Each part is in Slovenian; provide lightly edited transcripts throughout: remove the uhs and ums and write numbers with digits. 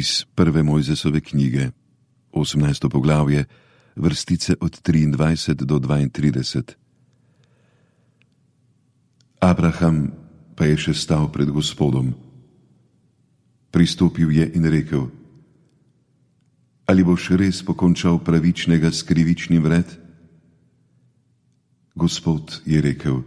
Iz prve Mojzesove knjige, 18. poglavje, vrstice od 23 do 32. Abraham pa je še stal pred Gospodom. Pristopil je in rekel: Ali boš res pokončal pravičnega s krivičnim vred? Gospod je rekel: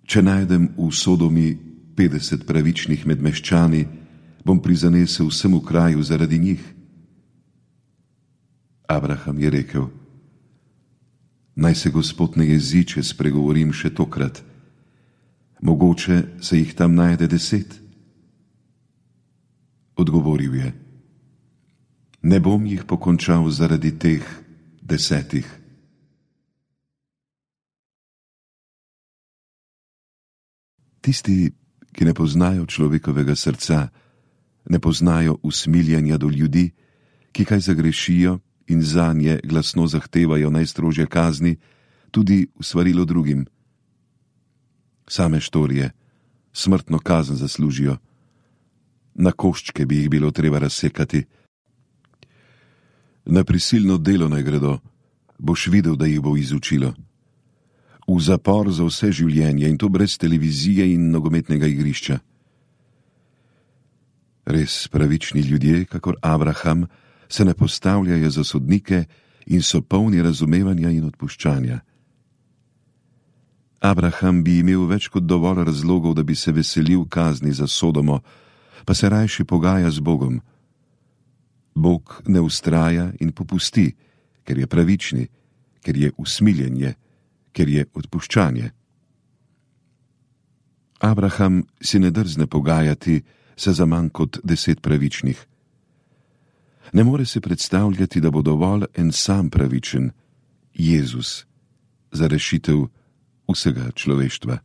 Če najdem v Sodomi 50 pravičnih med meščani, bom prizanesel vsemu kraju zaradi njih. Abraham je rekel: Naj se Gospod ne jezi, če spregovorim še tokrat. Mogoče se jih tam najde 10. Odgovoril je: Ne bom jih pokončal zaradi teh 10. Tisti, ki ne poznajo človekovega srca, ne poznajo usmiljanja do ljudi, ki kaj zagrešijo in zanje glasno zahtevajo najstrožje kazni, tudi v svarilo drugim. Same štorije, smrtno kazen zaslužijo. Na koščke bi jih bilo treba razsekati. Na prisilno delo naj gredo, boš videl, da jih bo izučilo. V zapor za vse življenje, in to brez televizije in nogometnega igrišča. Res pravični ljudje, kakor Abraham, se ne postavljajo za sodnike in so polni razumevanja in odpuščanja. Abraham bi imel več kot dovolj razlogov, da bi se veselil kazni za Sodomo, pa se rajši pogaja z Bogom. Bog ne ustraja in popusti, ker je pravični, ker je usmiljenje, ker je odpuščanje. Abraham si ne drzne pogajati se za manj kot 10 pravičnih. Ne more se predstavljati, da bo dovolj en sam pravičen, Jezus, za rešitev vsega človeštva.